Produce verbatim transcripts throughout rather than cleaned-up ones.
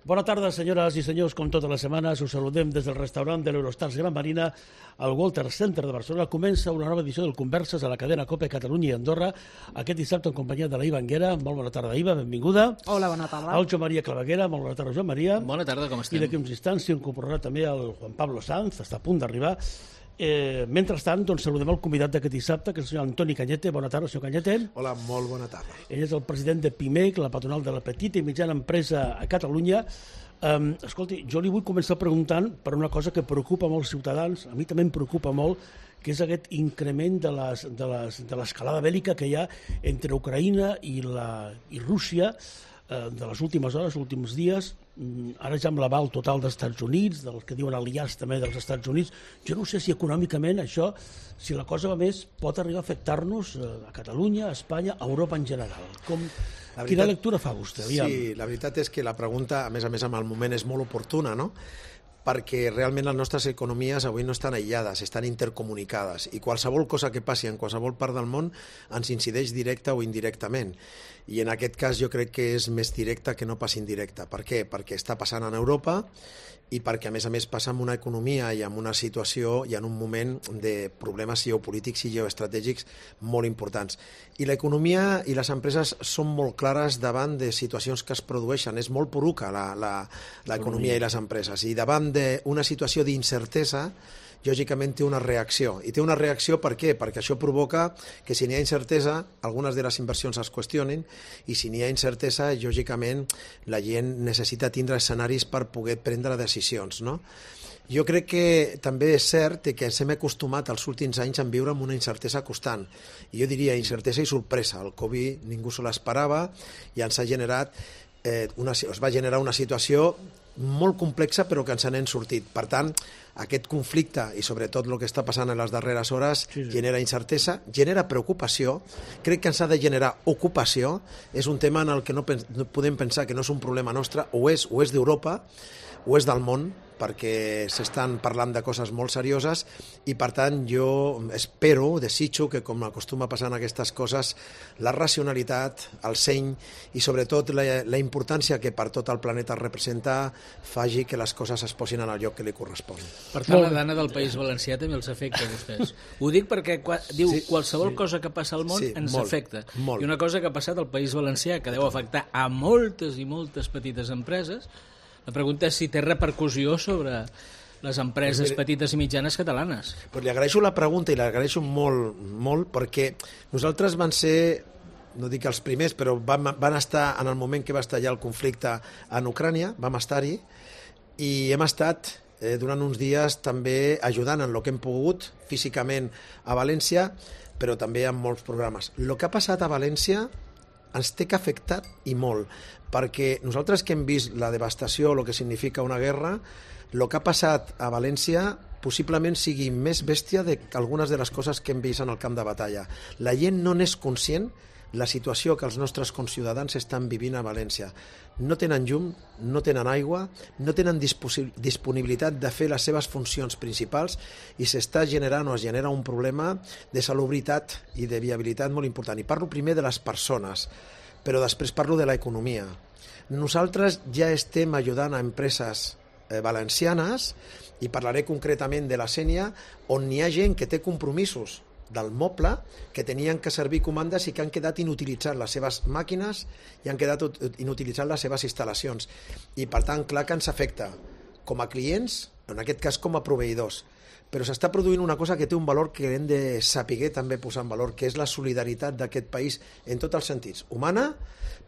Bona tarda, senyores i senyors, com totes les setmanes. Us saludem des del restaurant de l'Eurostars Gran Marina al Walter Center de Barcelona. Comença una nova edició del Converses a la cadena COPE Catalunya i Andorra, aquest dissabte en companyia de la Iva Anguera. Molt bona tarda, Iva, benvinguda. Hola, bona tarda. El Joan Maria Claveguera. Molt bona tarda, Joan Maria. Bona tarda, com estem? I d'aquí uns instants s'hi incorporarà també el Juan Pablo Sanz, està a punt d'arribar. Eh, mentrestant, doncs, saludem el convidat d'aquest dissabte, que és el senyor Antoni Cañete. Bona tarda, senyor Cañete. Hola, molt bona tarda. Ell és el president de PIMEC, la patronal de la petita i mitjana empresa a Catalunya. Um, escolti, jo li vull començar preguntant per una cosa que preocupa molts ciutadans, a mi també em preocupa molt, que és aquest increment de les, de les, de l'escalada bèl·lica que hi ha entre Ucraïna i, la, i Rússia eh, de les últimes hores, els últims dies. Ara ja amb l'aval total dels Estats Units, del que diuen aliats també dels Estats Units. Jo no sé si econòmicament això, si la cosa va més, pot arribar a afectar-nos a Catalunya, a Espanya, a Europa en general. Com, la veritat, quina lectura fa vostè? Aviam. Sí, la veritat és que la pregunta, a més a més amb el moment, és molt oportuna, no? Perquè realment les nostres economies avui no estan aïllades, estan intercomunicades, i qualsevol cosa que passi en qualsevol part del món ens incideix directa o indirectament. I en aquest cas jo crec que és més directa que no pas indirecta. Per què? Perquè està passant en Europa i perquè, a més a més, passa en una economia i en una situació i en un moment de problemes geopolítics i geoestratègics molt importants. I l'economia i les empreses són molt clares davant de situacions que es produeixen. És molt poruca l'economia i les empreses. I davant d'una situació d'incertesa, lògicament té una reacció. I té una reacció per què? Perquè això provoca que si n'hi ha incertesa, algunes de les inversions es qüestionen, i si n'hi ha incertesa, lògicament la gent necessita tindre escenaris per poder prendre decisions, no? Jo crec que també és cert que ens hem acostumat els últims anys a viure amb una incertesa constant. I jo diria incertesa i sorpresa. El Covid ningú se l'esperava i ens ha generat, eh, una, es va generar una situació molt complexa però que ens n'hem sortit. Per tant, aquest conflicte i sobretot el que està passant en les darreres hores sí, sí. genera incertesa, genera preocupació, crec que ens ha de generar ocupació, és un tema en el que no, no podem pensar que no és un problema nostre, o és, o és d'Europa, o és del món, perquè s'estan parlant de coses molt serioses i, per tant, jo espero, desitjo que, com acostuma a passar en aquestes coses, la racionalitat, el seny i, sobretot, la, la importància que per tot el planeta representa faci que les coses es posin en el lloc que li correspon. Per tant, la dana del País Valencià també els afecta a vostès. Ho dic perquè diu sí, qualsevol sí. cosa que passa al món sí, ens molt, afecta. Molt. I una cosa que ha passat al País Valencià, que deu afectar a moltes i moltes petites empreses. La pregunta és si té repercussió sobre les empreses pues mire, petites i mitjanes catalanes. Pues li agraeixo la pregunta i l'agraeixo molt, molt perquè nosaltres van ser, no dic els primers, però van, van estar en el moment que va estallar el conflicte en Ucrània, vam estar-hi, i hem estat eh, durant uns dies també ajudant en el que hem pogut físicament a València, però també en molts programes. El que ha passat a València ens té que afectar i molt, perquè nosaltres que hem vist la devastació, el que significa una guerra, el que ha passat a València possiblement sigui més bèstia que algunes de les coses que hem vist en el camp de batalla. La gent no n'és conscient la situació que els nostres conciutadans estan vivint a València. No tenen llum, no tenen aigua, no tenen disponibilitat de fer les seves funcions principals i s'està generant o es genera un problema de salubritat i de viabilitat molt important. I parlo primer de les persones, però després parlo de l'economia. Nosaltres ja estem ajudant a empreses eh, valencianes i parlaré concretament de la Sénia, on hi ha gent que té compromisos del moble, que tenien que servir comandes i que han quedat inutilitzant les seves màquines i han quedat inutilitzant les seves instal·lacions. I, per tant, clar que ens afecta com a clients, en aquest cas com a proveïdors. Però s'està produint una cosa que té un valor que hem de saber també posar en valor, que és la solidaritat d'aquest país en tots els sentits, humana,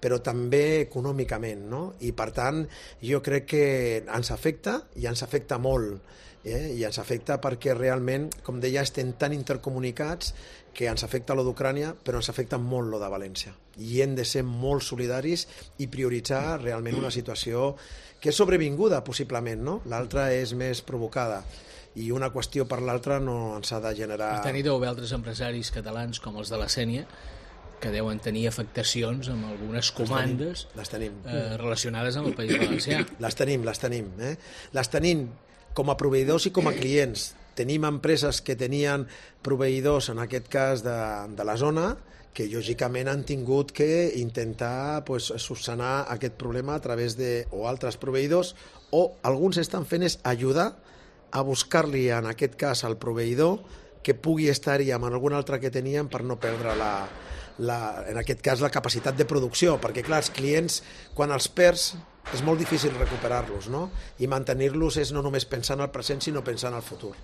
però també econòmicament, no? I, per tant, jo crec que ens afecta i ens afecta molt. Eh? I ens afecta perquè realment, com deia, estem tan intercomunicats que ens afecta lo d'Ucrània, però ens afecta molt lo de València. I hem de ser molt solidaris i prioritzar realment una situació que és sobrevinguda, possiblement, no? L'altra és més provocada. I una qüestió per l'altra no ens ha de generar... Per tant, hi deu haver altres empresaris catalans com els de la Sénia que deuen tenir afectacions amb algunes comandes les tenim, les tenim. Eh, relacionades amb el País Valencià. Les tenim, les tenim. Eh? Les tenim com a proveïdors i com a clients. Tenim empreses que tenien proveïdors, en aquest cas de, de la zona, que lògicament han tingut que intentar pues, subsanar aquest problema a través de o altres proveïdors, o alguns estan fent és ajudar a buscar-li en aquest cas al proveïdor que pugui estar-hi amb algun altre que tenien per no perdre la, la, en aquest cas la capacitat de producció, perquè clar, els clients quan els perds és molt difícil recuperar-los, no? I mantenir-los és no només pensar en el present sinó pensar en el futur.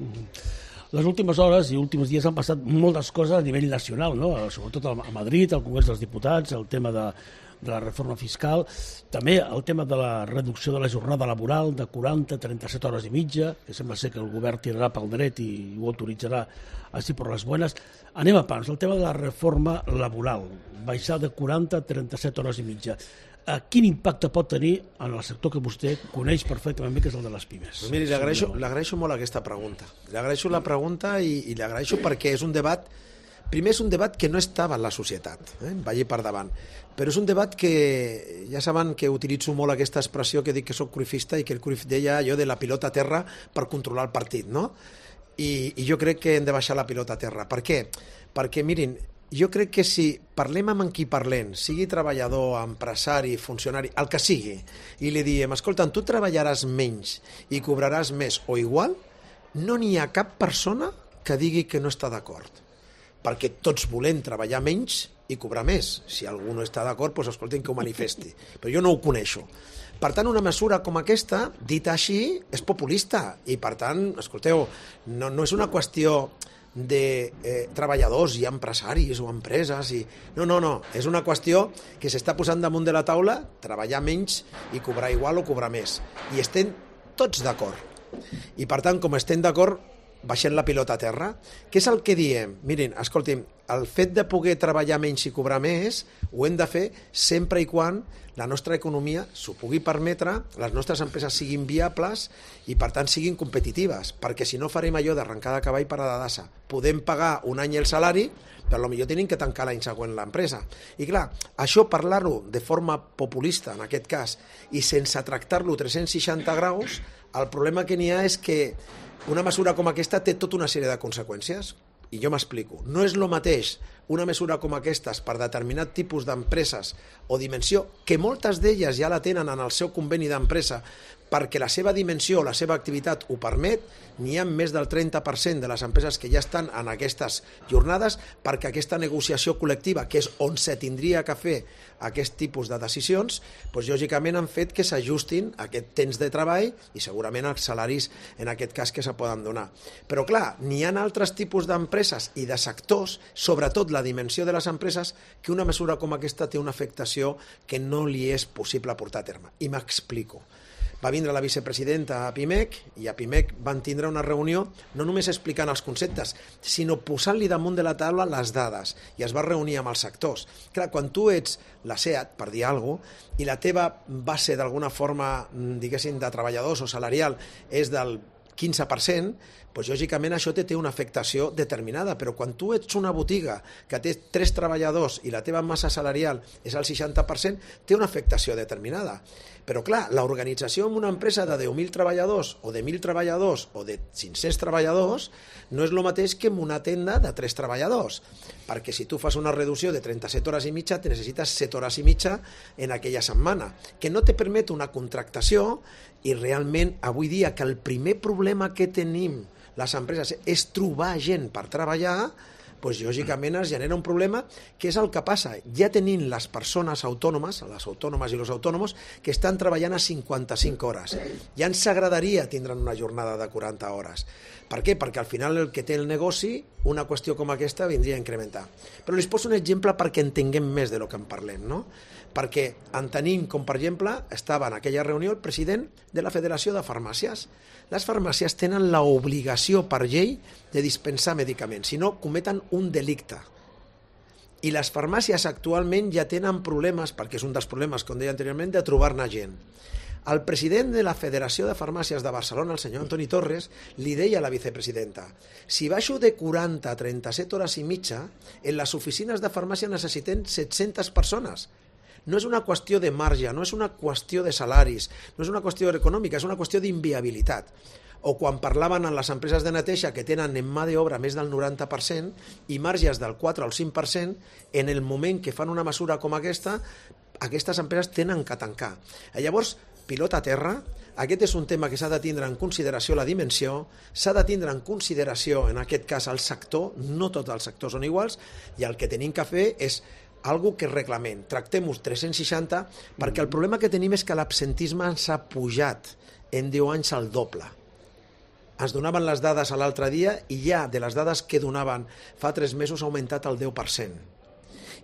Mm-hmm. Les últimes hores i últims dies han passat moltes coses a nivell nacional, no? Sobretot a Madrid, al Congrés dels Diputats, el tema de, de la reforma fiscal, també el tema de la reducció de la jornada laboral de quaranta a trenta-set hores i mitja, que sembla ser que el govern tirarà pel dret i ho autoritzarà així per les buenas. Anem a pams, el tema de la reforma laboral, baixar de quaranta a trenta-set hores i mitja. Quin impacte pot tenir en el sector que vostè coneix perfectament bé, que és el de les pimes? Pues miri, li agraeixo, li agraeixo molt aquesta pregunta. Li agraeixo la pregunta i, i li agraeixo perquè és un debat, primer és un debat que no estava en la societat, eh? vagi per davant, però és un debat que, ja saben que utilitzo molt aquesta expressió que dic que soc cruifista i que el Cruyff deia allò de la pilota a terra per controlar el partit, no? I, i jo crec que hem de baixar la pilota a terra. Per què? Perquè, mirin, jo crec que si parlem amb qui parlem, sigui treballador, empresari, funcionari, el que sigui, i li diem, escolta, tu treballaràs menys i cobraràs més o igual, no n'hi ha cap persona que digui que no està d'acord. Perquè tots volem treballar menys i cobrar més. Si algú no està d'acord, doncs escolten que ho manifesti. Però jo no ho coneixo. Per tant, una mesura com aquesta, dita així, és populista. I per tant, escolteu, no, no és una qüestió de eh, treballadors i empresaris o empreses i... no, no, no, és una qüestió que s'està posant damunt de la taula, treballar menys i cobrar igual o cobrar més, i estem tots d'acord, i per tant com estem d'acord baixem la pilota a terra. Què és el que diem? Mirin, escolti'm, el fet de poder treballar menys i cobrar més ho hem de fer sempre i quan la nostra economia s'ho pugui permetre, les nostres empreses siguin viables i per tant siguin competitives, perquè si no farem allò d'arrencar de cavall per a la dassa. Podem pagar un any el salari, però potser tenim que tancar l'any següent l'empresa. I clar, això parlar-ho de forma populista, en aquest cas, i sense tractar-lo tres-cents seixanta graus, el problema que n'hi ha és que una mesura com aquesta té tota una sèrie de conseqüències. I jo m'explico. No és el mateix una mesura com aquestes per determinat tipus d'empreses o dimensió, que moltes d'elles ja la tenen en el seu conveni d'empresa perquè la seva dimensió o la seva activitat ho permet, n'hi ha més del trenta per cent de les empreses que ja estan en aquestes jornades perquè aquesta negociació col·lectiva, que és on se tindria que fer aquest tipus de decisions, doncs lògicament han fet que s'ajustin a aquest temps de treball i segurament els salaris en aquest cas que se poden donar. Però clar, n'hi ha altres tipus d'empreses i de sectors, sobretot la dimensió de les empreses, que una mesura com aquesta té una afectació que no li és possible portar a terme. I m'explico. Va vindre la vicepresidenta a Pimec i a Pimec van tindre una reunió no només explicant els conceptes, sinó posant-li damunt de la taula les dades, i es va reunir amb els sectors. Clar, quan tu ets la SEAT, per dir alguna cosa, i la teva base d'alguna forma, diguéssim, de treballadors o salarial és del quinze per cent, doncs lògicament això té una afectació determinada, però quan tu ets una botiga que té tres treballadors i la teva massa salarial és el seixanta per cent, té una afectació determinada. Però clar, l'organització en una empresa de deu mil treballadors o de mil treballadors o de cinc-cents treballadors no és el mateix que en una tenda de tres treballadors, perquè si tu fas una reducció de trenta-set hores i mitja, te necessites set hores i mitja en aquella setmana, que no te permet una contractació. I realment avui dia que el primer problema que tenim les empreses és trobar gent per treballar, doncs lògicament es genera un problema, que és el que passa. Ja tenim les persones autònomes, les autònomes i els autònoms, que estan treballant a cinquanta-cinc hores. Ja ens agradaria tindre una jornada de quaranta hores. Per què? Perquè al final el que té el negoci, una qüestió com aquesta vindria a incrementar. Però li poso un exemple perquè entenguem més de lo que en parlem, no? Perquè en tenim, com per exemple, estava en aquella reunió el president de la Federació de Farmàcies. Les farmàcies tenen l'obligació per llei de dispensar medicaments, si no cometen un delicte. I les farmàcies actualment ja tenen problemes, perquè és un dels problemes, com deia anteriorment, de trobar-ne gent. El president de la Federació de Farmàcies de Barcelona, el senyor Antoni Torres, li deia a la vicepresidenta: si baixo de quaranta a trenta-set hores i mitja, en les oficines de farmàcia necessitem set-centes persones. No és una qüestió de marge, no és una qüestió de salaris, no és una qüestió econòmica, és una qüestió d'inviabilitat. o quan parlaven en les empreses de neteja que tenen en mà d'obra més del noranta per cent i marges del quatre al cinc per cent, en el moment que fan una mesura com aquesta, aquestes empreses tenen que tancar. Llavors, pilota a terra, aquest és un tema que s'ha de tindre en consideració la dimensió, s'ha de tindre en consideració, en aquest cas, el sector, no tots els sectors són iguals, i el que tenim que fer és algo que reclamem. Tractem-ho tres-cents seixanta, perquè el problema que tenim és que l'absentisme ens ha pujat en deu anys al doble. Ens donaven les dades l'altre dia i ja de les dades que donaven fa tres mesos ha augmentat el deu per cent.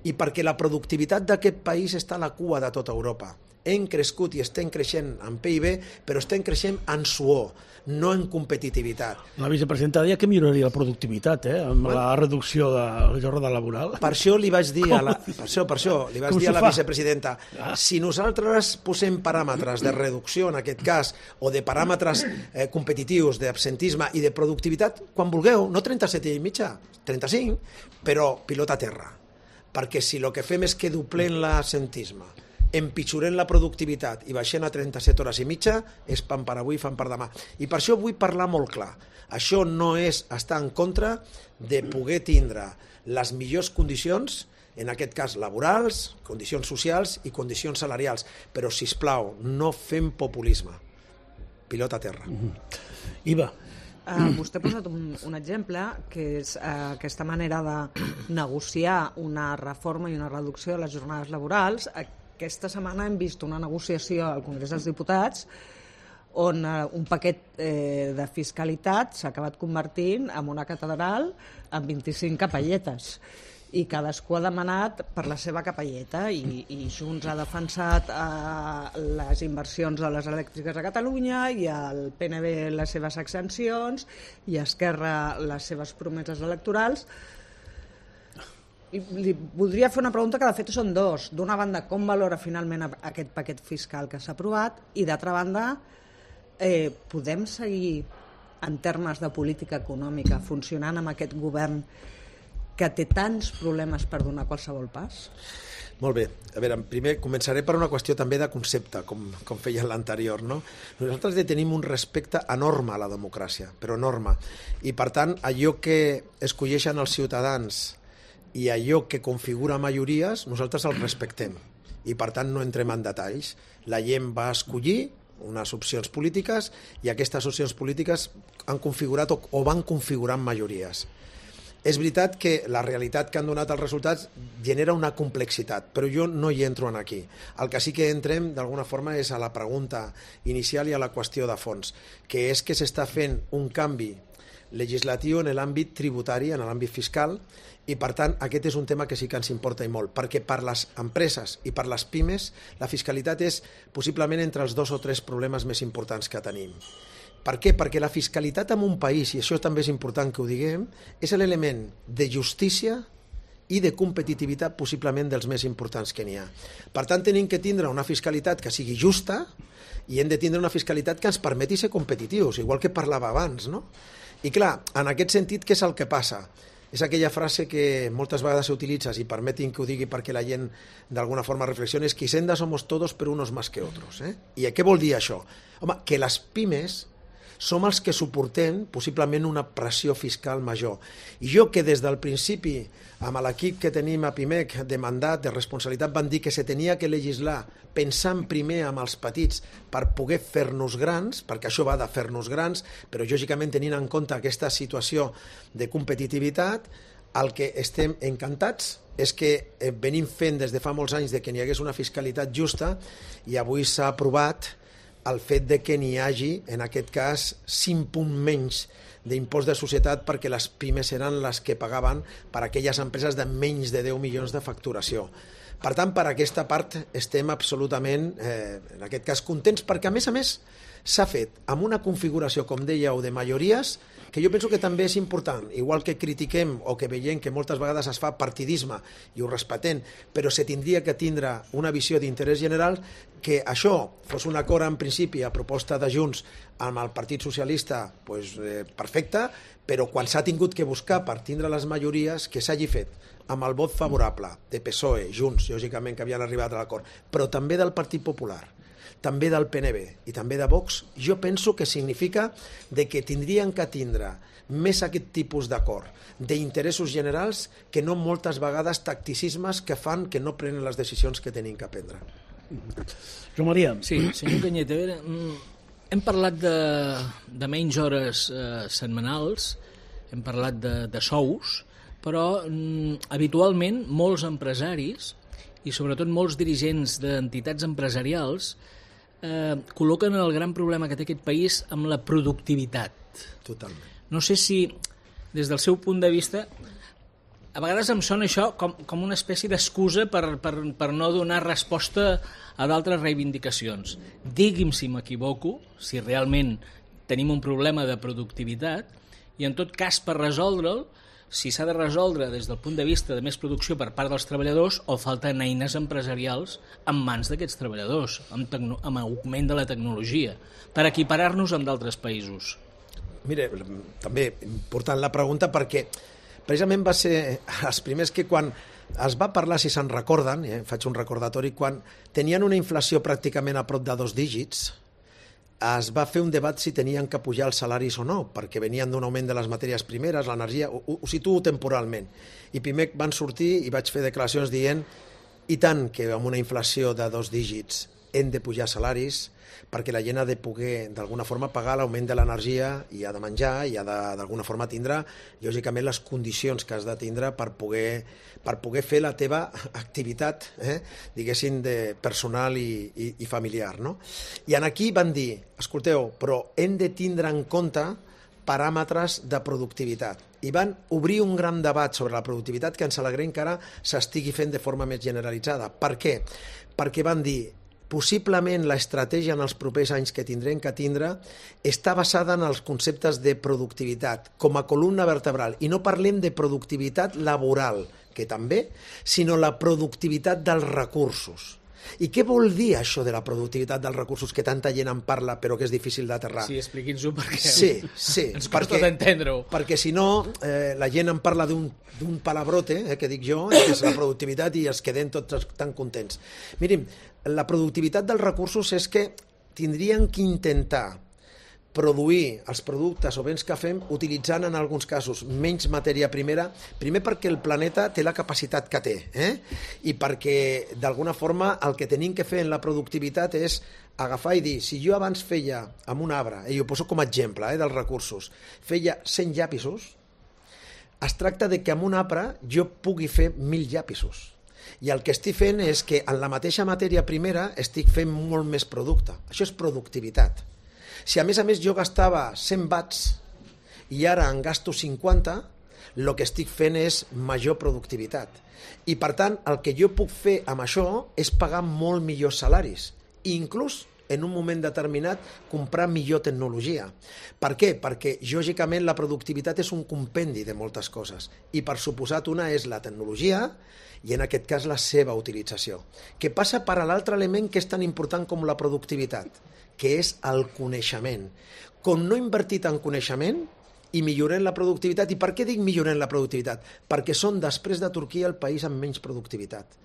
I perquè la productivitat d'aquest país està a la cua de tota Europa. Hem crescut i estem creixent en P I B, però estem creixent en suor, no en competitivitat. La vicepresidenta deia que milloraria la productivitat, eh, amb bueno, la reducció de la jornada laboral. Per això li vaig dir a la, per això, per això, li vaig dir a la vicepresidenta, ah. si nosaltres posem paràmetres de reducció, en aquest cas, o de paràmetres eh, competitius, d'absentisme i de productivitat, quan vulgueu, no trenta-set i mitja, trenta-cinc, però pilota a terra. Perquè si el que fem és que duplem l'absentisme, empitjorem la productivitat i baixem a trenta-set hores i mitja, és pan per avui, fan per demà. I per això vull parlar molt clar. Això no és estar en contra de poder tindre les millors condicions, en aquest cas laborals, condicions socials i condicions salarials. Però, sisplau, no fem populisme. Pilota a terra. Mm-hmm. Iva. Uh, vostè ha posat un, un exemple que és uh, aquesta manera de negociar una reforma i una reducció de les jornades laborals. Aquesta setmana hem vist una negociació al Congrés dels Diputats on uh, un paquet eh, de fiscalitat s'ha acabat convertint en una catedral amb vint-i-cinc capelletes i cadascú ha demanat per la seva capelleta i, i Junts ha defensat eh, les inversions de les elèctriques a Catalunya i el P N B les seves exempcions i Esquerra les seves promeses electorals. I li voldria fer una pregunta que de fet són dos. D'una banda, com valora finalment aquest paquet fiscal que s'ha aprovat i d'altra banda, eh, podem seguir en termes de política econòmica funcionant amb aquest govern que té tants problemes per donar qualsevol pas? Molt bé. A veure, primer començaré per una qüestió també de concepte, com, com feia l'anterior, no? Nosaltres tenim un respecte enorme a la democràcia, però enorme. I, per tant, allò que escolleixen els ciutadans i allò que configura majories, nosaltres el respectem. I, per tant, no entrem en detalls. La gent va escollir unes opcions polítiques i aquestes opcions polítiques han configurat o, o van configurant majories. És veritat que la realitat que han donat els resultats genera una complexitat, però jo no hi entro en aquí. El que sí que entrem, d'alguna forma, és a la pregunta inicial i a la qüestió de fons, que és que s'està fent un canvi legislatiu en l'àmbit tributari, en l'àmbit fiscal, i, per tant, aquest és un tema que sí que ens importa i molt, perquè per les empreses i per les pimes la fiscalitat és possiblement entre els dos o tres problemes més importants que tenim. Per què? Perquè la fiscalitat en un país, i això també és important que ho diguem, és l'element de justícia i de competitivitat possiblement dels més importants que n'hi ha. Per tant, tenim que tindre una fiscalitat que sigui justa i hem de tindre una fiscalitat que ens permeti ser competitius, igual que parlava abans, no? I clar, en aquest sentit, què és el que passa? És aquella frase que moltes vegades s'utilitzes, i permetin que ho digui perquè la gent d'alguna forma reflexioni, és que Hisenda somos todos pero unos más que otros. Eh? I què vol dir això? Home, que les pimes som els que suportem possiblement una pressió fiscal major. I jo que des del principi, amb l'equip que tenim a Pimec de mandat, de responsabilitat, van dir que se tenia que legislar pensant primer amb els petits per poder fer-nos grans, perquè això va de fer-nos grans, però lògicament tenint en compte aquesta situació de competitivitat, el que estem encantats és que venim fent des de fa molts anys de que n'hi hagués una fiscalitat justa i avui s'ha aprovat el fet de que n'hi hagi, en aquest cas, cinc punts menys d'impost de societat perquè les pimes eren les que pagaven per aquelles empreses de menys de deu milions de facturació. Per tant, per aquesta part estem absolutament, eh, en aquest cas, contents perquè, a més a més, s'ha fet amb una configuració, com dèieu, de majories, que jo penso que també és important, igual que critiquem o que veiem que moltes vegades es fa partidisme i ho respectem, però se tindria que tindre una visió d'interès general, que això fos un acord en principi a proposta de Junts amb el Partit Socialista, pues, eh, perfecte, però quan s'ha tingut que buscar per tindre les majories, que s'hagi fet amb el vot favorable de P S O E, Junts, lògicament que havien arribat a l'acord, però també del Partit Popular, també del P N B i també de Vox, jo penso que significa de que tindrien que tindre més aquest tipus d'acord d'interessos generals que no moltes vegades tacticismes que fan que no prenen les decisions que tenim que prendre. Joan Maria. Sí, senyor Cañete, a veure, hem parlat de, de menys hores eh, setmanals, hem parlat de, de sous, però mm, habitualment molts empresaris i sobretot molts dirigents d'entitats empresarials eh, col·loquen el gran problema que té aquest país amb la productivitat. Totalment. No sé si, des del seu punt de vista, a vegades em sona això com, com una espècie d'excusa per, per, per no donar resposta a d'altres reivindicacions. Digui'm si m'equivoco, si realment tenim un problema de productivitat, i en tot cas per resoldre'l, si s'ha de resoldre des del punt de vista de més producció per part dels treballadors o falten eines empresarials en mans d'aquests treballadors, amb, tecno- amb augment de la tecnologia, per equiparar-nos amb d'altres països. Mire, també important la pregunta perquè precisament va ser els primers que quan es va parlar, si se'n recorden, eh, faig un recordatori, quan tenien una inflació pràcticament a prop de dos dígits, es va fer un debat si tenien que pujar els salaris o no, perquè venien d'un augment de les matèries primeres, l'energia, ho, ho situo temporalment. I primer van sortir i vaig fer declaracions dient i tant que amb una inflació de dos dígits hem de pujar salaris perquè la gent ha de poder d'alguna forma pagar l'augment de l'energia i ha de menjar i ha de d'alguna forma tindre lògicament les condicions que has de tindre per poder, per poder fer la teva activitat, eh, diguéssim, de personal i, i, i familiar. No? I en aquí van dir, escolteu, però hem de tindre en compte paràmetres de productivitat. I van obrir un gran debat sobre la productivitat que ens alegrem que ara s'estigui fent de forma més generalitzada. Per què? Perquè van dir possiblement l'estratègia en els propers anys que tindrem que tindre està basada en els conceptes de productivitat com a columna vertebral. I no parlem de productivitat laboral, que també, sinó la productivitat dels recursos. I què vol dir això de la productivitat dels recursos que tanta gent en parla però que és difícil d'aterrar? Sí, expliqui'ns-ho perquè sí, sí, ens costa d'entendre-ho. Perquè si no, eh, la gent en parla d'un d'un palabrote, eh, que dic jo, que és la productivitat i es queden tots tan contents. Mirin, la productivitat dels recursos és que tindrien que intentar produir els productes o béns que fem utilitzant en alguns casos menys matèria primera, primer perquè el planeta té la capacitat que té, eh? I perquè d'alguna forma el que tenim que fer en la productivitat és agafar i dir, si jo abans feia amb un arbre, i ho poso com a exemple eh, dels recursos, feia cent llapisos, es tracta de que amb un arbre jo pugui fer mil llapisos. I el que estic fent és que en la mateixa matèria primera estic fent molt més producte. Això és productivitat. Si a més a més jo gastava cent watts i ara en gasto cinquanta, el que estic fent és major productivitat. I per tant, el que jo puc fer amb això és pagar molt millors salaris, inclús en un moment determinat comprar millor tecnologia. Per què? Perquè, lògicament, la productivitat és un compendi de moltes coses i, per suposat, una és la tecnologia i, en aquest cas, la seva utilització. Que passa per a l'altre element que és tan important com la productivitat, que és el coneixement. Com no he invertit en coneixement i millorem la productivitat. I per què dic millorem la productivitat? Perquè són, després de Turquia, el país amb menys productivitat.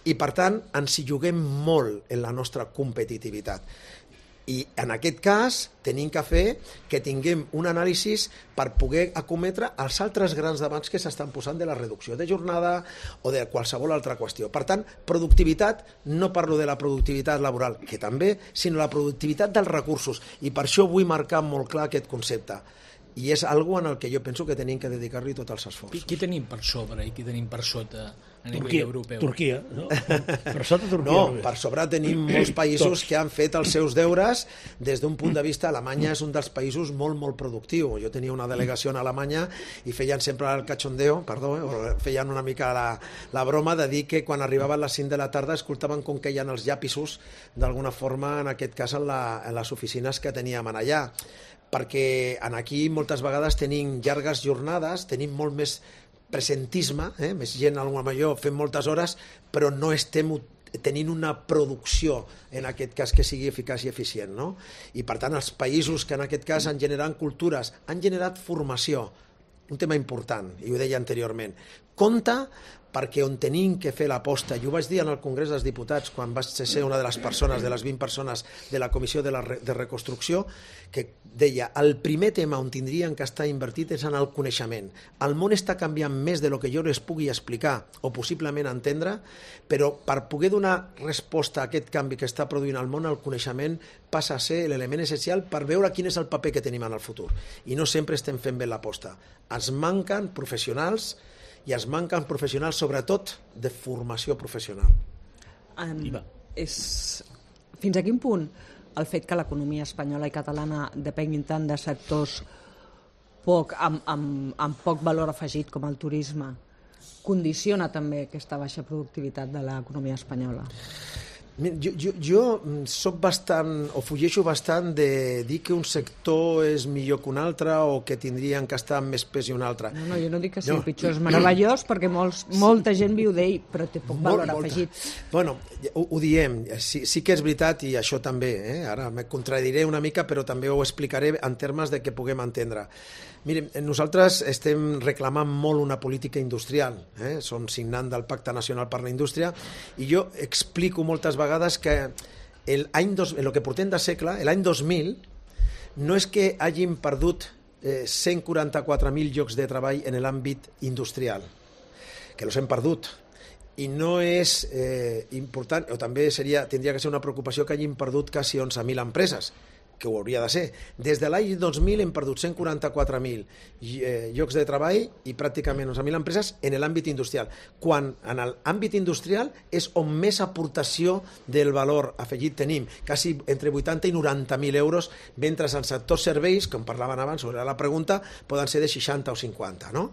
I, per tant, ens hi juguem molt en la nostra competitivitat. I, en aquest cas, tenim que fer que tinguem un anàlisi per poder acometre els altres grans debats que s'estan posant de la reducció de jornada o de qualsevol altra qüestió. Per tant, productivitat, no parlo de la productivitat laboral, que també, sinó la productivitat dels recursos. I per això vull marcar molt clar aquest concepte. I és algo en el que jo penso que tenim que dedicar-li tots els esforços. Qui, qui tenim per sobre i qui tenim per sota a nivell Turquia, europeu? Turquia, no? Per sota Turquia. No, per sobre tenim molts països que han fet els seus deures des d'un punt de vista. Alemanya és un dels països molt, molt productiu. Jo tenia una delegació a Alemanya i feien sempre el cachondeo, perdó, eh? feien una mica la, la broma de dir que quan arribaven les cinc de la tarda escoltaven com queien els llapisos d'alguna forma, en aquest cas en, la, en les oficines que teníem allà. Perquè en aquí moltes vegades tenim llargues jornades, tenim molt més presentisme, eh? més gent a lo millor fent moltes hores, però no estem tenint una producció, en aquest cas, que sigui eficaç i eficient. No? I per tant, els països que en aquest cas han generat cultures, han generat formació, un tema important, i ho deia anteriorment. compte, perquè on tenim que fer l'aposta, i ho vaig dir en el Congrés dels Diputats quan vaig ser una de les persones, de les vint persones de la Comissió de, la re, de Reconstrucció, que deia, el primer tema on tindrien que estar invertit és en el coneixement. El món està canviant més de lo que jo les pugui explicar o possiblement entendre, però per poder donar resposta a aquest canvi que està produint el món, el coneixement passa a ser l'element essencial per veure quin és el paper que tenim en el futur. I no sempre estem fent bé l'aposta. Ens manquen professionals i es manquen professionals, sobretot de formació professional. Um, és... Fins a quin punt el fet que l'economia espanyola i catalana depenguin tant de sectors poc, amb, amb, amb poc valor afegit com el turisme condiciona també aquesta baixa productivitat de l'economia espanyola? Jo, jo, jo soc bastant, o fugeixo bastant de dir que un sector és millor que un altre o que tindrien que estar amb més pes i un altre. No, no, jo no dic que sigui no. pitjor, és meravellós perquè molts, molta gent viu d'ell, però té poc valor Molt, afegit. Bueno, ho, ho diem, sí, sí que és veritat i això també, eh? Ara me contradiré una mica però també ho explicaré en termes de que puguem entendre. Miren, nosaltres estem reclamant molt una política industrial, eh? Som signant del Pacte Nacional per la Indústria i jo explico moltes vegades que el any dos, el que portem de segle, l'any dos mil, no és que hagin perdut eh, cent quaranta-quatre mil llocs de treball en l'àmbit industrial, que los hem perdut, i no és eh, important, o també seria, tindria que ser una preocupació que hagin perdut quasi onze mil empreses, que ho hauria de ser. Des de l'any dos mil hem perdut cent quaranta-quatre mil eh, llocs de treball i pràcticament onze mil empreses en l'àmbit industrial, quan en l'àmbit industrial és on més aportació del valor afegit tenim, quasi entre vuitanta i noranta mil euros, mentre en sectors serveis, com parlaven abans, sobre la pregunta, poden ser de seixanta o cinquanta, no?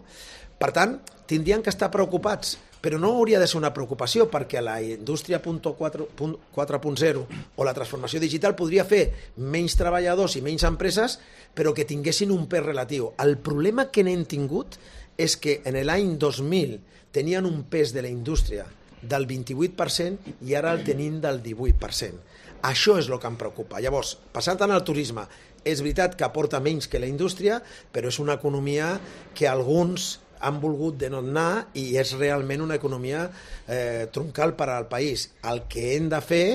Per tant, tindrien que estar preocupats, però no hauria de ser una preocupació perquè la indústria quatre punt zero o la transformació digital podria fer menys treballadors i menys empreses, però que tinguessin un pes relatiu. El problema que n'hem tingut és que en l'any dos mil tenien un pes de la indústria del vint-i-vuit per cent i ara el tenim del divuit per cent. Això és el que em preocupa. Llavors, passant tant al turisme, és veritat que aporta menys que la indústria, però és una economia que alguns han volgut de no anar i és realment una economia eh, troncal per al país. El que hem de fer,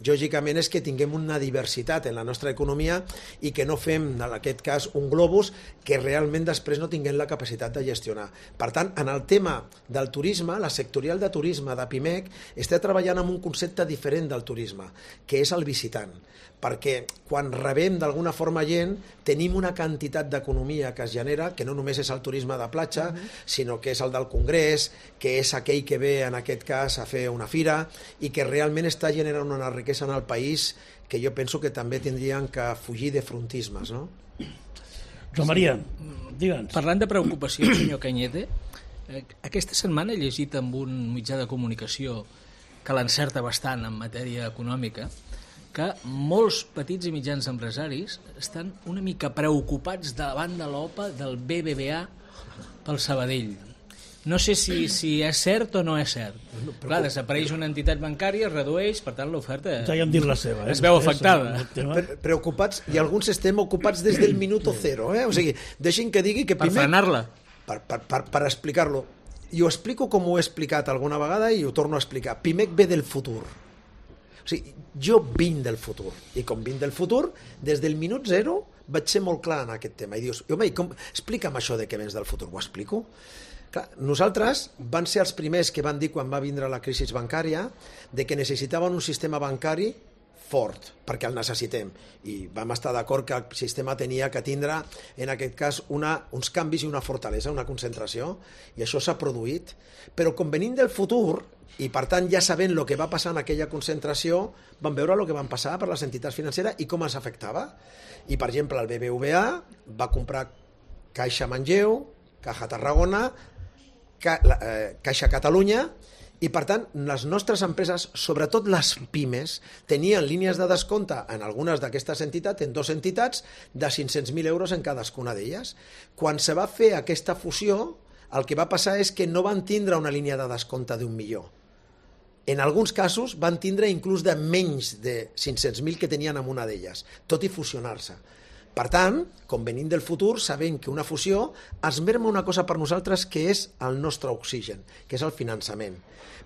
lògicament, és que tinguem una diversitat en la nostra economia i que no fem, en aquest cas, un globus que realment després no tinguem la capacitat de gestionar. Per tant, en el tema del turisme, la sectorial de turisme de Pimec està treballant amb un concepte diferent del turisme, que és el visitant. Perquè quan rebem d'alguna forma gent, tenim una quantitat d'economia que es genera, que no només és el turisme de platja, uh-huh. sinó que és el del congrés, que és aquell que ve en aquest cas a fer una fira i que realment està generant una riquesa en el país que jo penso que també tindrien que fugir de frontismes, no? Joan Maria, digue'ns. Parlant de preocupació, senyor Cañete, aquesta setmana he llegit amb un mitjà de comunicació que l'encerta bastant en matèria econòmica, que molts petits i mitjans empresaris estan una mica preocupats davant de l'O P A del B B V A pel Sabadell. No sé si, si és cert o no és cert. Clar, desapareix una entitat bancària, es redueix, per tant l'oferta ja hi han dit la seva, eh? es veu afectada. Pre preocupats, i alguns estem ocupats des del minuto zero, eh? O sigui, deixin que digui que per primer... frenar-la. Per, per, per, per explicar-lo. I ho explico com ho he explicat alguna vegada i ho torno a explicar. Pimec ve del futur. O sigui, jo vinc del futur, i com vinc del futur, des del minut zero vaig ser molt clar en aquest tema, i dius, home, com... explica'm això de que vens del futur, ho explico? Clar, nosaltres van ser els primers que van dir quan va vindre la crisi bancària de que necessitaven un sistema bancari fort, perquè el necessitem, i vam estar d'acord que el sistema tenia que tindre, en aquest cas, una, uns canvis i una fortalesa, una concentració, i això s'ha produït, però com venim del futur, i per tant ja sabent el que va passar en aquella concentració, vam veure el que van passar per les entitats financeres i com ens afectava. I, per exemple, el B B V A va comprar Caixa Manlleu, Caja Tarragona, Ca, eh, Caixa Catalunya, i per tant les nostres empreses, sobretot les pimes, tenien línies de descompte en algunes d'aquestes entitats, en dues entitats, de cinc-cents mil euros en cadascuna d'elles. Quan se va fer aquesta fusió, el que va passar és que no van tindre una línia de descompte d'un milió. En alguns casos van tindre inclús de menys de cinc-cents mil que tenien en una d'elles, tot i fusionar-se. Per tant, com venim del futur, sabem que una fusió es merma una cosa per nosaltres que és el nostre oxigen, que és el finançament.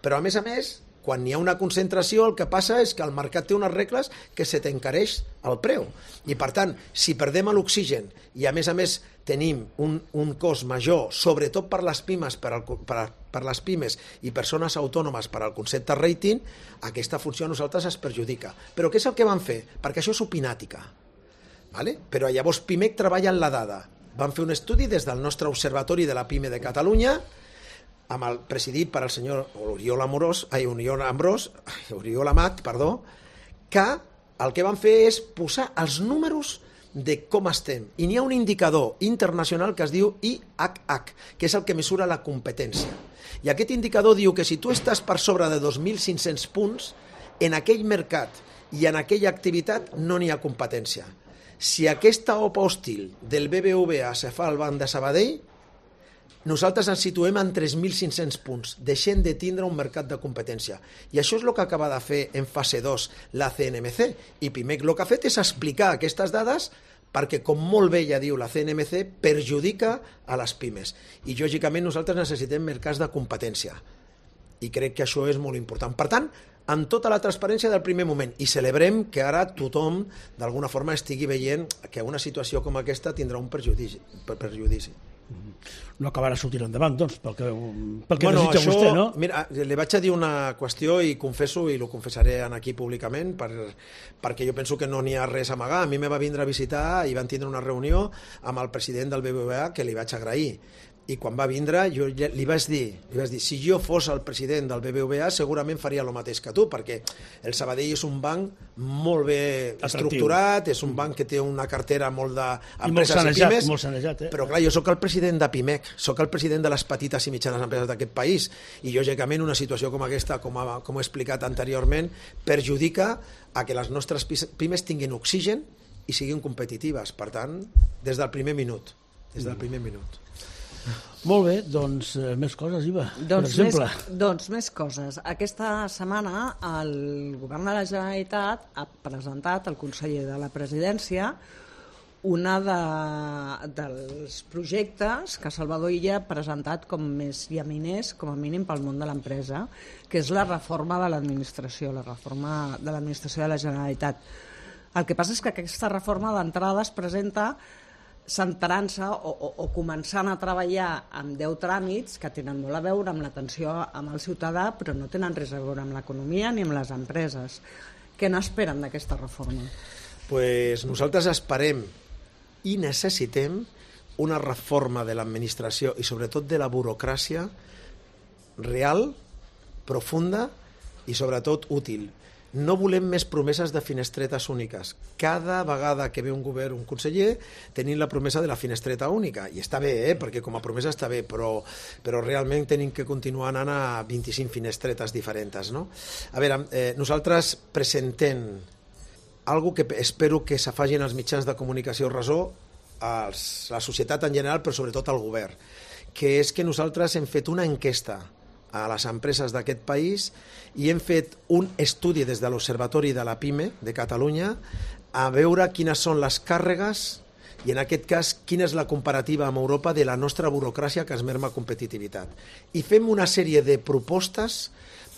Però, a més a més, quan hi ha una concentració, el que passa és que el mercat té unes regles que se t'encareix el preu. I, per tant, si perdem l'oxigen i, a més a més, tenim un, un cost major, sobretot per les pimes, per, el, per, per les pimes i persones autònomes per al concepte rating, aquesta funció a nosaltres es perjudica. Però què és el que van fer? Perquè això és opinàtica. Vale? Però llavors Pimec treballa en la dada. Van fer un estudi des del nostre Observatori de la Pime de Catalunya, amb el presidit per al senyor Oriol Amorós, ai, Oriol Ambrós, Oriol Amat, perdó, que el que van fer és posar els números de com estem. I n'hi ha un indicador internacional que es diu I H H, que és el que mesura la competència. I aquest indicador diu que si tu estàs per sobre de dos mil cinc-cents punts, en aquell mercat i en aquella activitat no n'hi ha competència. Si aquesta O P A hostil del B B V A se fa al Banc de Sabadell, nosaltres ens situem en tres mil cinc-cents punts, deixem de tindre un mercat de competència. I això és el que acaba de fer en fase dos la C N M C. I Pimec el que ha fet és explicar aquestes dades perquè, com molt bé ja diu la C N M C, perjudica a les pimes. I, lògicament, nosaltres necessitem mercats de competència. I crec que això és molt important. Per tant, amb tota la transparència del primer moment, i celebrem que ara tothom d'alguna forma estigui veient que una situació com aquesta tindrà un perjudici. perjudici. No acabarà sortint endavant, doncs, pel que, pel que bueno, desitja això, vostè, no? Mira, li vaig a dir una qüestió i confesso, i ho confessaré aquí públicament, per, perquè jo penso que no n'hi ha res a amagar. A mi me va vindre a visitar i van tindre una reunió amb el president del B B V A que li vaig agrair. I quan va vindre jo li vaig dir, li vaig dir si jo fos el president del B B V A segurament faria el mateix que tu, perquè el Sabadell és un banc molt bé atractiu, estructurat, és un banc que té una cartera molt d'empreses i, i pimes, molt sanejat, eh? Però clar, jo sóc el president de Pimec, sóc el president de les petites i mitjanes empreses d'aquest país, i lògicament una situació com aquesta, com, ha, com he explicat anteriorment, perjudica a que les nostres pimes tinguin oxigen i siguin competitives. Per tant, des del primer minut, des del primer minut. Molt bé, doncs eh, més coses, Iva, doncs per exemple. Més, doncs més coses. Aquesta setmana el Govern de la Generalitat ha presentat al conseller de la Presidència una de, dels projectes que Salvador Illa ha presentat com més llaminers, com a mínim pel món de l'empresa, que és la reforma de l'administració, la reforma de l'administració de la Generalitat. El que passa és que aquesta reforma d'entrada es presenta centrant-se o, o, o començant a treballar amb deu tràmits que tenen molt a veure amb l'atenció amb el ciutadà, però no tenen res a veure amb l'economia ni amb les empreses. Què n'esperen d'aquesta reforma? Pues nosaltres esperem i necessitem una reforma de l'administració i sobretot de la burocràcia real, profunda i sobretot útil. No volem més promeses de finestretes úniques. Cada vegada que ve un govern, un conseller, tenim la promesa de la finestreta única. I està bé, eh? Perquè com a promesa està bé, però, però realment tenim que continuar anant a vint-i-cinc finestretes diferents, no? A veure, eh, nosaltres presentem algo que espero que s'afagin els mitjans de comunicació ressò, als, la societat en general, però sobretot al govern, que és que nosaltres hem fet una enquesta a les empreses d'aquest país i hem fet un estudi des de l'Observatori de la Pime de Catalunya a veure quines són les càrregues i, en aquest cas, quina és la comparativa amb Europa de la nostra burocràcia que es merma competitivitat. I fem una sèrie de propostes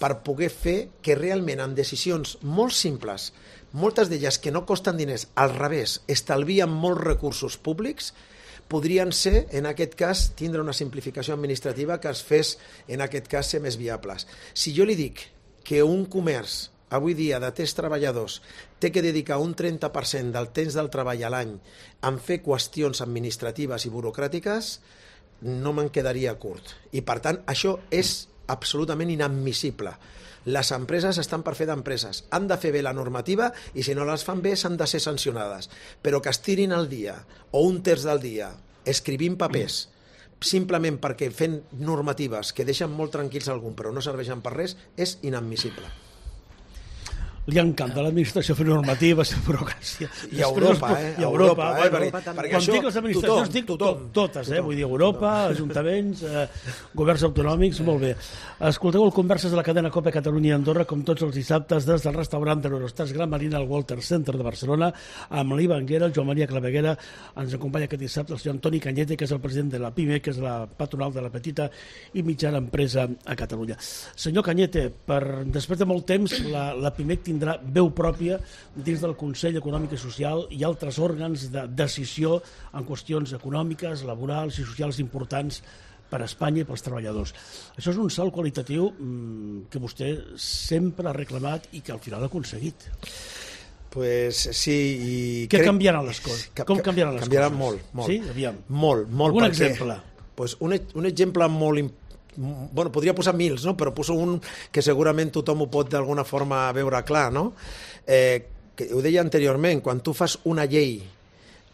per poder fer que realment amb decisions molt simples, moltes d'elles que no costen diners, al revés, estalvien molts recursos públics, podrien ser, en aquest cas, tindre una simplificació administrativa que es fes, en aquest cas, ser més viables. Si jo li dic que un comerç, avui dia, de tres treballadors, té que dedicar un trenta per cent del temps del treball a l'any en fer qüestions administratives i burocràtiques, no me'n quedaria curt. I, per tant, això és absolutament inadmissible. Les empreses estan per fer d'empreses, han de fer bé la normativa i si no les fan bé s'han de ser sancionades, però que es tirin el dia o un terç del dia escrivint papers simplement perquè fent normatives que deixen molt tranquils algun però no serveixen per res és inadmissible. li encanta l'administració fer normatives, fer burocràcia. I a Europa, eh? I a Europa, eh? bueno, quan dic les administracions, dic totes, eh? Vull dir, Europa, ajuntaments, eh, governs autonòmics, molt bé. Escolteu el Converses de la cadena COPE Catalunya i Andorra, com tots els dissabtes, des del restaurant de l'Eurostars Gran Marina al Walter Center de Barcelona, amb l'Iva Anguera, el Joan Maria Claveguera. Ens acompanya aquest dissabte el senyor Antoni Cañete, que és el president de la PIME, que és la patronal de la petita i mitjana empresa a Catalunya. Senyor Cañete, per, després de molt temps, la, la PIMEC tindrà veu pròpia dins del Consell Econòmic i Social i altres òrgans de decisió en qüestions econòmiques, laborals i socials importants per a Espanya i pels treballadors. Això és un salt qualitatiu mmm, que vostè sempre ha reclamat i que al final ha aconseguit. Pues sí, i què crec... canviaran les coses? Com canviaran les canviaran coses? molt, molt. Sí? Aviam. Molt, molt. Un perquè, exemple. Pues un, un exemple molt important. Bueno, podria posar mils, no? Però poso un que segurament tothom ho pot d'alguna forma veure clar, no? Eh, que ho deia anteriorment, quan tu fas una llei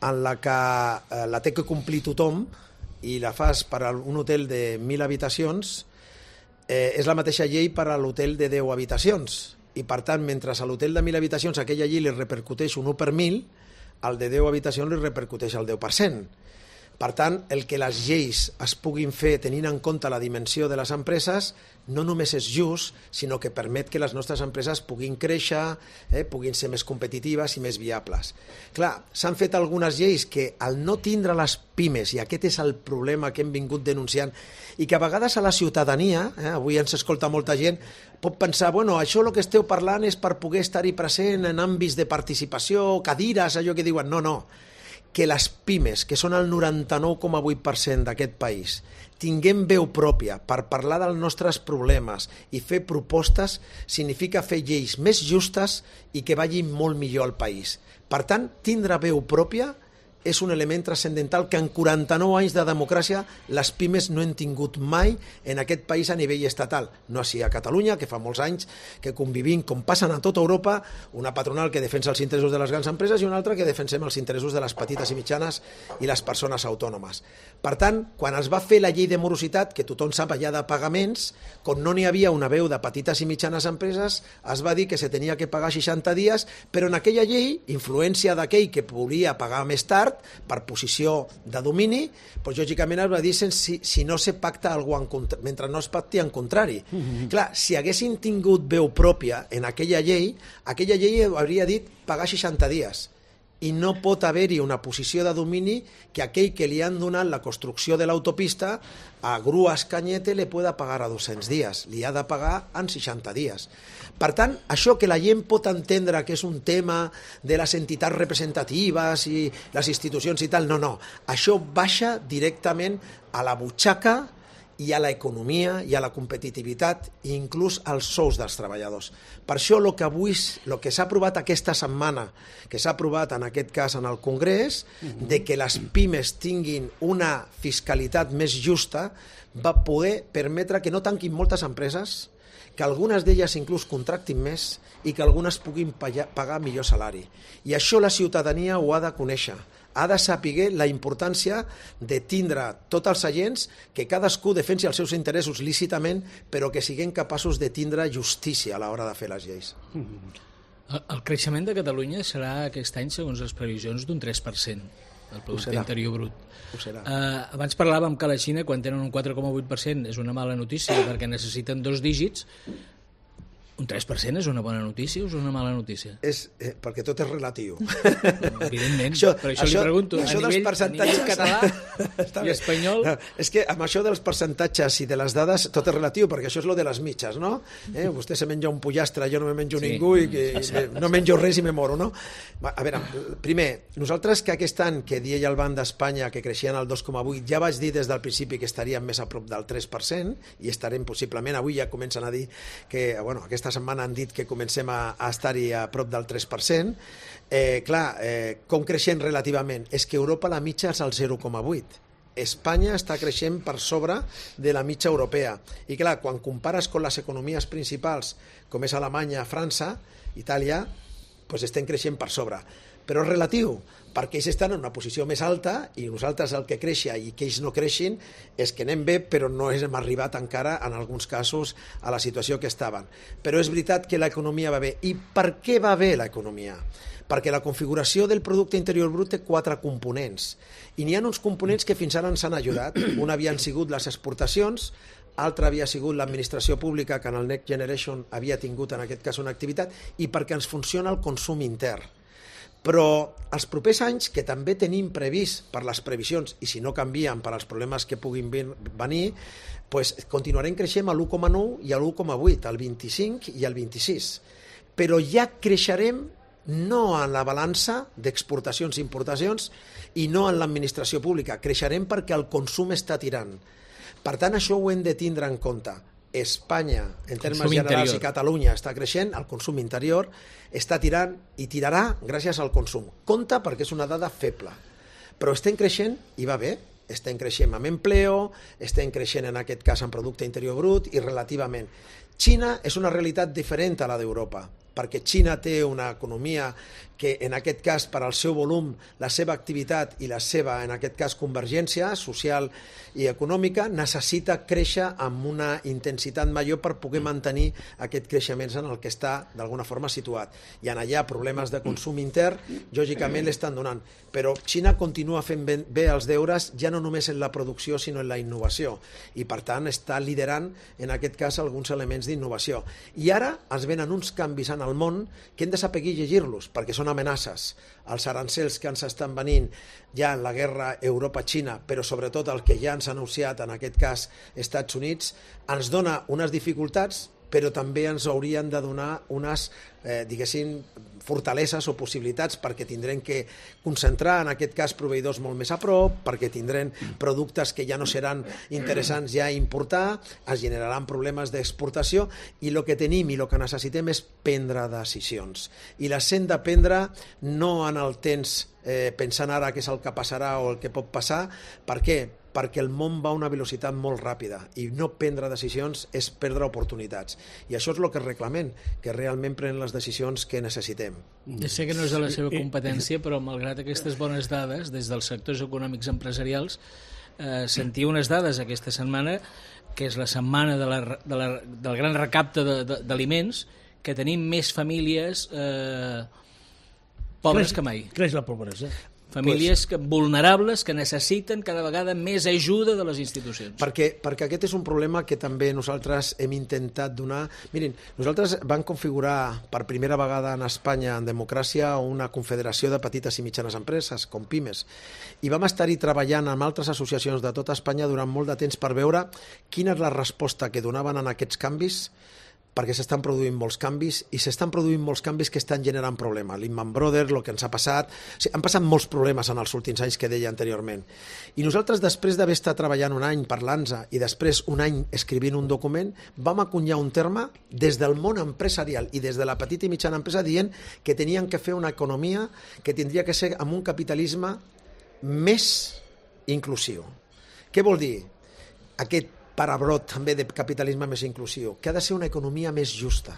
en la que eh, la té que complir tothom i la fas per a un hotel de mil habitacions, eh, és la mateixa llei per a l'hotel de deu habitacions. I per tant, mentre a l'hotel de mil habitacions aquella llei li repercuteix un u per mil, al de deu habitacions li repercuteix el deu per cent. Per tant, el que les lleis es puguin fer tenint en compte la dimensió de les empreses no només és just, sinó que permet que les nostres empreses puguin créixer, eh, puguin ser més competitives i més viables. Clar, s'han fet algunes lleis que al no tindre les pimes, i aquest és el problema que hem vingut denunciant, i que a vegades a la ciutadania, eh, avui ens escolta molta gent, pot pensar, bueno, això el que esteu parlant és per poder estar-hi present en àmbits de participació, cadires, allò que diuen, no, no, que les pimes, que són el noranta-nou coma vuit per cent d'aquest país, tinguem veu pròpia per parlar dels nostres problemes i fer propostes, significa fer lleis més justes i que vagin molt millor al país. Per tant, tindre veu pròpia és un element transcendental que en quaranta-nou anys de democràcia les pimes no han tingut mai en aquest país a nivell estatal. No així a Catalunya, que fa molts anys que convivim, com passen a tota Europa, una patronal que defensa els interessos de les grans empreses i una altra que defensem els interessos de les petites i mitjanes i les persones autònomes. Per tant, quan es va fer la llei de morositat, que tothom sap allà de pagaments, com no n'hi havia una veu de petites i mitjanes empreses, es va dir que se tenia que pagar seixanta dies, però en aquella llei, influència d'aquell que volia pagar més tard, per posició de domini, doncs lògicament es va dir si, si no se pacta alguna en contra, mentre no es pacti en contrari. Mm-hmm. Clar, si haguessin tingut veu pròpia en aquella llei, aquella llei hauria dit pagar seixanta dies. I no pot haver-hi una posició de domini que aquell que li han donat la construcció de l'autopista a Grues Cañete li pueda pagar a dos-cents dies, li ha de pagar en seixanta dies. Per tant, això que la gent pot entendre que és un tema de les entitats representatives i les institucions i tal, no, no. Això baixa directament a la butxaca i a l'economia i a la competitivitat i inclús als sous dels treballadors. Per això el que avui, el que s'ha aprovat aquesta setmana, que s'ha aprovat en aquest cas en el Congrés, de que les pimes tinguin una fiscalitat més justa, va poder permetre que no tanquin moltes empreses, que algunes d'elles inclús contractin més i que algunes puguin pagar millor salari. I això la ciutadania ho ha de conèixer. Ha de saber la importància de tindre tots els agents, que cadascú defensi els seus interessos lícitament, però que siguin capaços de tindre justícia a l'hora de fer les lleis. El, el creixement de Catalunya serà aquest any, segons les previsions, d'un tres per cent del producte interior brut. Uh, abans parlàvem que la Xina, quan tenen un quatre coma vuit per cent, és una mala notícia perquè necessiten dos dígits. Un tres per cent és una bona notícia o és una mala notícia? És, eh, perquè tot és relatiu. Evidentment, això, per això, això li pregunto. Això a, nivell, a nivell català i espanyol... No, és que amb això dels percentatges i de les dades tot és relatiu, perquè això és lo de les mitges, no? Eh, vostè se menja un pollastre, jo no me menjo sí. ningú i que me, no menjo res i me moro, no? A veure, primer, nosaltres que aquest any que deia el Banc d'Espanya que creixien al dos coma vuit, ja vaig dir des del principi que estaríem més a prop del tres per cent i estarem possiblement, avui ja comencen a dir que, bueno, aquesta setmana han dit que comencem a, a estar-hi a prop del tres per cent. Eh, clar, eh, com creixent relativament? És que Europa la mitja és al zero coma vuit. Espanya està creixent per sobre de la mitja europea. I clar, quan compares amb les economies principals, com és Alemanya, França, Itàlia, doncs estem creixent per sobre. Però és relatiu, perquè ells estan en una posició més alta i nosaltres el que creixia i que ells no creixin és que anem bé, però no hem arribat encara en alguns casos a la situació que estaven. Però és veritat que l'economia va bé. I per què va bé l'economia? Perquè la configuració del producte interior brut té quatre components i n'hi ha uns components que fins ara ens han ajudat. Un havien sigut les exportacions, altre havia sigut l'administració pública, que en el Next Generation havia tingut en aquest cas una activitat, i perquè ens funciona el consum intern. Però els propers anys, que també tenim previst per les previsions, i si no canvien per als problemes que puguin venir, pues continuarem creixent a l'u coma nou i a l'u coma vuit, al vint-i-cinc i al vint-i-sis. Però ja creixerem no en la balança d'exportacions i importacions i no en l'administració pública, creixerem perquè el consum està tirant. Per tant, això ho hem de tindre en compte. Espanya, en termes generals, i Catalunya està creixent, el consum interior està tirant i tirarà gràcies al consum. Compte perquè és una dada feble, però estem creixent i va bé. Estem creixent amb empleo, estem creixent en aquest cas en producte interior brut i relativament. Xina és una realitat diferent a la d'Europa, perquè Xina té una economia que en aquest cas per al seu volum, la seva activitat i la seva, en aquest cas, convergència social i econòmica necessita créixer amb una intensitat major per poder mantenir aquest creixement en el que està d'alguna forma situat. Hi ha allà problemes de consum intern, lògicament l'estan donant, però Xina continua fent bé els deures ja no només en la producció sinó en la innovació i per tant està liderant en aquest cas alguns elements d'innovació. I ara es venen uns canvis en el món que hem de saber llegir-los perquè són amenaces. Els arancels que ens estan venint ja en la guerra Europa-Xina, però sobretot el que ja ens ha anunciat en aquest cas Estats Units, ens dona unes dificultats, però també ens haurien de donar unes, eh, diguéssim, fortaleses o possibilitats perquè tindrem que concentrar en aquest cas proveïdors molt més a prop, perquè tindrem productes que ja no seran interessants ja importar, es generaran problemes d'exportació i el que tenim i el que necessitem és prendre decisions. I les hem de prendre no en el temps eh, pensant ara què és el que passarà o el que pot passar. Per què? Perquè el món va a una velocitat molt ràpida i no prendre decisions és perdre oportunitats. I això és el que reclamem, que realment prenen les decisions que necessitem. Ja sé que no és de la seva competència, però malgrat aquestes bones dades, des dels sectors econòmics empresarials, eh, sentia unes dades aquesta setmana, que és la setmana de la, de la, del gran recapte d'aliments, que tenim més famílies eh, pobres creix, que mai. Creix la pobresa. Famílies que, vulnerables que necessiten cada vegada més ajuda de les institucions. Perquè, perquè aquest és un problema que també nosaltres hem intentat donar. Mirin, nosaltres vam configurar per primera vegada en Espanya en democràcia una confederació de petites i mitjanes empreses, com Pimes, i vam estar-hi treballant amb altres associacions de tota Espanya durant molt de temps per veure quina és la resposta que donaven en aquests canvis, perquè s'estan produint molts canvis i s'estan produint molts canvis que estan generant problemes. Lehman Brothers, el que ens ha passat... O sigui, han passat molts problemes en els últims anys que deia anteriorment. I nosaltres, després d'haver estat treballant un any parlant-ne i després un any escrivint un document, vam acunyar un terme des del món empresarial i des de la petita i mitjana empresa dient que tenien que fer una economia que tindria que ser amb un capitalisme més inclusiu. Què vol dir? Aquest parabrot també de capitalisme més inclusiu, que ha de ser una economia més justa.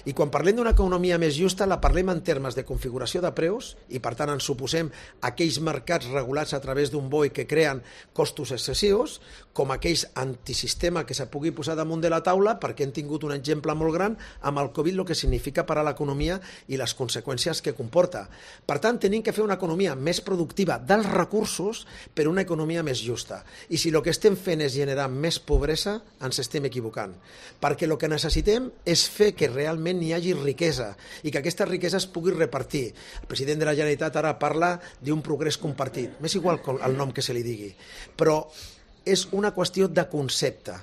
I quan parlem d'una economia més justa la parlem en termes de configuració de preus i per tant ens suposem aquells mercats regulats a través d'un B O I que creen costos excessius, com aquells antisistema que se pugui posar damunt de la taula, perquè hem tingut un exemple molt gran amb el Covid, el que significa per a l'economia i les conseqüències que comporta. Per tant, tenim que fer una economia més productiva dels recursos per una economia més justa. I si el que estem fent és generar més pobresa, ens estem equivocant. Perquè el que necessitem és fer que realment n'hi hagi riquesa i que aquesta riquesa es pugui repartir. El president de la Generalitat ara parla d'un progrés compartit. M'és igual el nom que se li digui, però és una qüestió de concepte.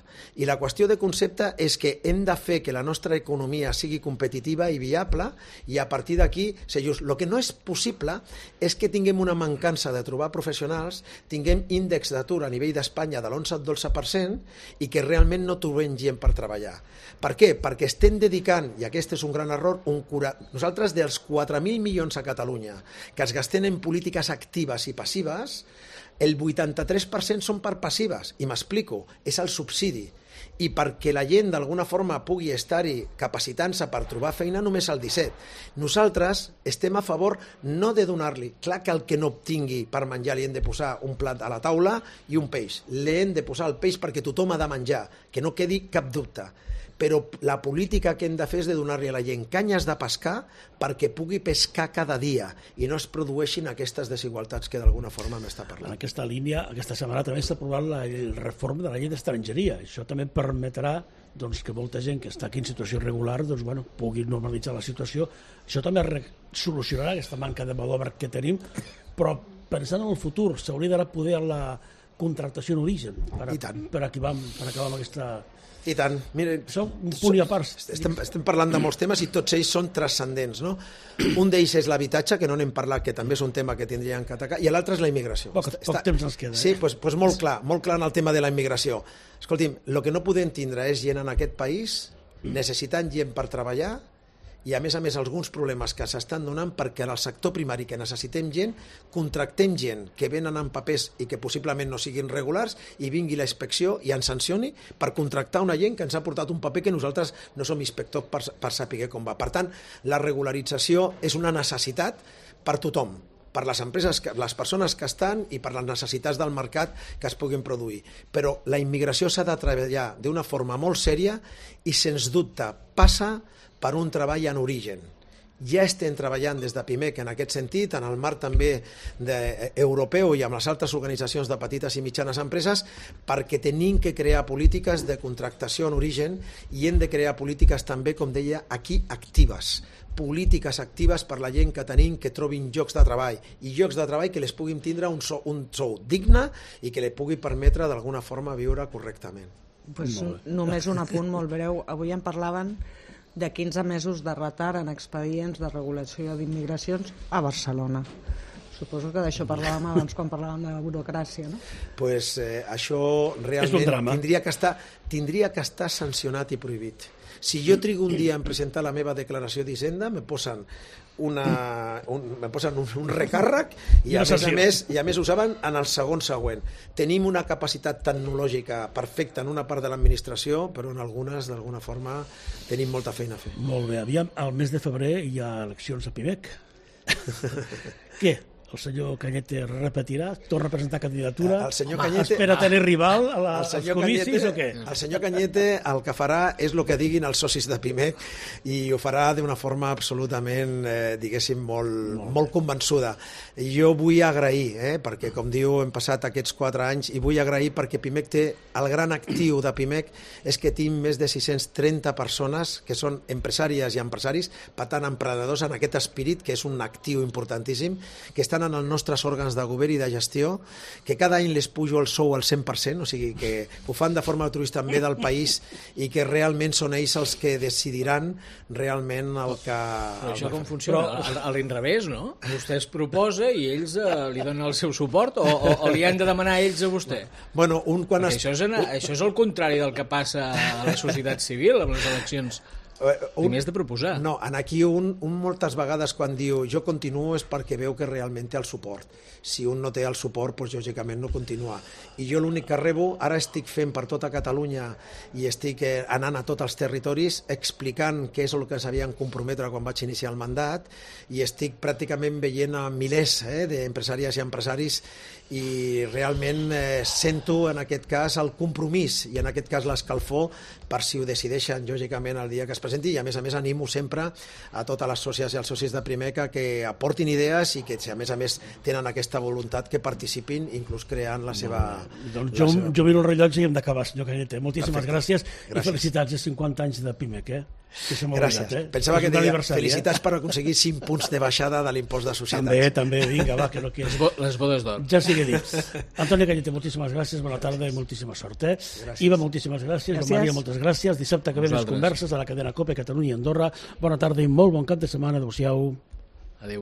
I la qüestió de concepte és que hem de fer que la nostra economia sigui competitiva i viable i a partir d'aquí ser just. El que no és possible és que tinguem una mancança de trobar professionals, tinguem índex d'atur a nivell d'Espanya de l'onze al dotze per cent i que realment no trobem gent per treballar. Per què? Perquè estem dedicant, i aquest és un gran error, un cura... nosaltres dels quatre mil milions a Catalunya que es gasten en polítiques actives i passives, El vuitanta-tres per cent són per passives, i m'explico, és el subsidi. I perquè la gent d'alguna forma pugui estar-hi capacitant-se per trobar feina només el disset. Nosaltres estem a favor no de donar-li, clar que el que no obtingui per menjar li hem de posar un plat a la taula i un peix, li hem de posar el peix perquè tothom ha de menjar, que no quedi cap dubte. Però la política que hem de fer és de donar-li a la gent canyes de pescar perquè pugui pescar cada dia i no es produeixin aquestes desigualtats que d'alguna forma m'està parlant. En aquesta línia, aquesta setmana també s'ha aprovat la reforma de la llei d'estrangeria. Això també permetrà doncs, que molta gent que està aquí en situació irregular doncs, bueno, pugui normalitzar la situació. Això també solucionarà aquesta manca de mà d'obra que tenim, però pensant en el futur, s'hauria d'ara poder la contractació en origen per, a, per, acabar, per acabar amb aquesta... I tant. Mira, som un punt i a part. Estem, estem parlant de molts temes i tots ells són transcendents, no? Un d'ells és l'habitatge, que no n'hem parlat, que també és un tema que tindríem que atacar, i l'altre és la immigració. Poc, poc Està... temps ens queda. Sí, doncs pues, pues molt clar, molt clar en el tema de la immigració. Escolti'm, el que no podem tindre és gent en aquest país necessitant gent per treballar i, a més a més, alguns problemes que s'estan donant perquè en el sector primari que necessitem gent, contractem gent que venen amb papers i que possiblement no siguin regulars i vingui la inspecció i ens sancioni per contractar una gent que ens ha portat un paper que nosaltres no som inspectors per, per saber com va. Per tant, la regularització és una necessitat per tothom, per les empreses, les persones que estan i per les necessitats del mercat que es puguin produir. Però la immigració s'ha de treballar d'una forma molt sèria i, sens dubte, passa per un treball en origen. Ja estem treballant des de Pimec en aquest sentit, en el marc també de, europeu i amb les altres organitzacions de petites i mitjanes empreses, perquè tenim que crear polítiques de contractació en origen i hem de crear polítiques també, com deia, aquí actives. Polítiques actives per la gent que tenim que trobin llocs de treball i llocs de treball que les puguin tindre un sou, un sou digne i que li pugui permetre d'alguna forma viure correctament. Pues només un apunt molt breu. Avui en parlaven de quinze mesos de retard en expedients de regulació d'immigracions a Barcelona. Suposo que d'això parlàvem abans quan parlàvem de la burocràcia, no? Pues eh, això realment tindria que estar, tindria que estar sancionat i prohibit. Si jo trigo un dia en presentar la meva declaració d'Hisenda, me posen una, un, me posen un, un recàrrec i a, més a més, i a més ho saben en el segon següent. Tenim una capacitat tecnològica perfecta en una part de l'administració, però en algunes, d'alguna forma, tenim molta feina a fer. Molt bé. Aviam, al mes de febrer hi ha eleccions a Pimec. Què? El senyor Cañete repetirà? Torna a presentar candidatura? El senyor Cañete... Espera tenir rival a la, als comicis Cañete, o què? El senyor Cañete el que farà és el que diguin els socis de Pimec i ho farà d'una forma absolutament, eh, diguéssim, molt, molt. molt convençuda. Jo vull agrair, eh, perquè com diu, hem passat aquests quatre anys i vull agrair perquè Pimec té, el gran actiu de Pimec és que tinc més de sis-cents trenta persones que són empresàries i empresaris, per tant, emprenedors en aquest espírit, que és un actiu importantíssim, que estan en els nostres òrgans de govern i de gestió, que cada any les pujo el sou al cent per cent, o sigui que ho fan de forma altruista en bé del país i que realment són ells els que decidiran realment el que... Però això com funciona? Però... A l'inrevés, no? Vostè es proposa i ells eh, li donen el seu suport o, o, o li han de demanar ells a vostè? Bueno, un quan es... això, és en, això és el contrari del que passa a la societat civil amb les eleccions. Un, Primer has de proposar. No, en aquí un, un moltes vegades quan diu jo continuo és perquè veu que realment té el suport. Si un no té el suport, doncs lògicament no continua. I jo l'únic que rebo, ara estic fent per tota Catalunya i estic anant a tots els territoris explicant què és el que s'havien comprometre quan vaig iniciar el mandat i estic pràcticament veient a milers eh, d'empresàries i empresaris i realment eh, sento en aquest cas el compromís i en aquest cas l'escalfor per si ho decideixen lògicament el dia que es presenti i a més a més animo sempre a totes les sòcies i els socis de Primeca que aportin idees i que si a més a més tenen aquesta voluntat que participin inclús creant la seva... Doncs jo, seva... jo miro el rellotge i hem d'acabar, senyor Cañete. Moltíssimes Perfecte. gràcies, gràcies i felicitats a cinquanta anys de Pimec, eh? Que gràcies. Obligat, eh? Pensava que deia felicitats eh? per aconseguir cinc punts de baixada de l'impost de societats. També, també, vinga, va, que no quieres. Les bodes d'or. Ja sigui dit. Antoni Cañete, moltíssimes gràcies, bona tarda i moltíssima sort. Eh? Iva, moltíssimes gràcies. gràcies. Maria, moltes gràcies. Dissabte que ve les converses a la cadena COPE, Catalunya i Andorra. Bona tarda i molt bon cap de setmana. Adéu-siau.